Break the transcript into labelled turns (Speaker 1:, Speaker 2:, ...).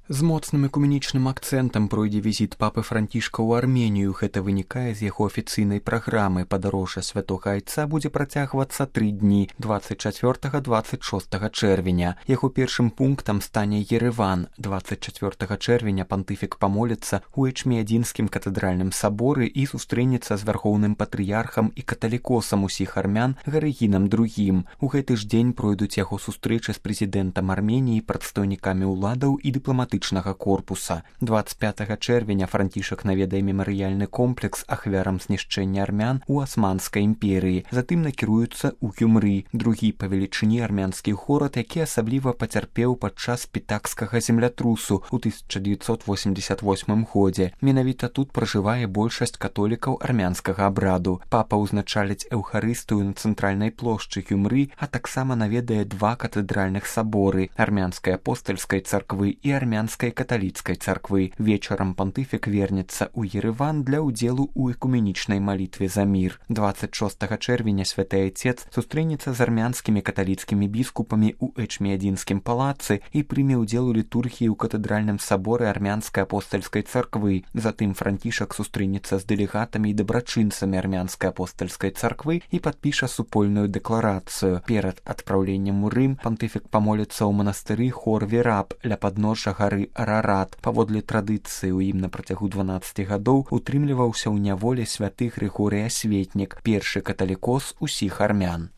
Speaker 1: З моцным экуменічным акцэнтам пройдзе візіт папы Францішка ў Арменію. Гэта вынікае з яго афіцыйнай праграмы. Падарожжа святога айца будзе працягвацца 3 дні 24-26 чэрвеня. Яго першым пунктам стане Ереван. 24 чэрвеня пантыфік памоліцца ў Эчміядзінскім катэдральным саборы і сустрэнецца з вярхоўным патрыярхам і каталікосам усіх армян Гарыгінам II. У гэты ж дзень пройдуць яго сустрэчы з прэзідэнтам Арменіі, прадстаўнікамі ўладаў і дыпламатычнага корпуса. 25 чэрвеня Францішак наведае мемарыяльны комплекс ахвярам знішчэння армян у Асманскай імперыі. Затым накіруецца ў Гюмры, другі па велічыні армянскі горад, які асабліва пацярпеў падчас пітакскага землятрусу ў 1988 годзе. Менавіта тут пражывае большасць католікаў армянскага абраду. Папа ўзначаліць эўхарыстыю на цэнтральнай плошчы Гюмры, а таксама наведае 2 катэдральных саборы армянскай апостальскай царквы і армянскай каталіцкай царквы. Вечарам пантыфік вернецца ў Ереван для ўдзелу ў экуменічнай малітве за мір. 26 чэрвеня святы айцец сустрэнецца з армянскімі каталіцкімі біскупамі ў Эчміядзінскім палацы і прыме ўдзел у літургіі ў катэдральным саборы армянскай апостальскай царквы. Затым Францішак сустрэнецца з дэлегатамі і дабрачынцамі армянскай апостальскай царквы і падпіша супольную дэкларацыю. Перад адпраўленнем у Рым пантыфік памоліцца ў манастыры Хор-Вераб ля падножжа гары Арарат. Паводле традыцыі ў ім на працягу 12 гадоў утрымліваўся ў няволі святы Грыгорый Асветнік, першы каталікос усіх армян.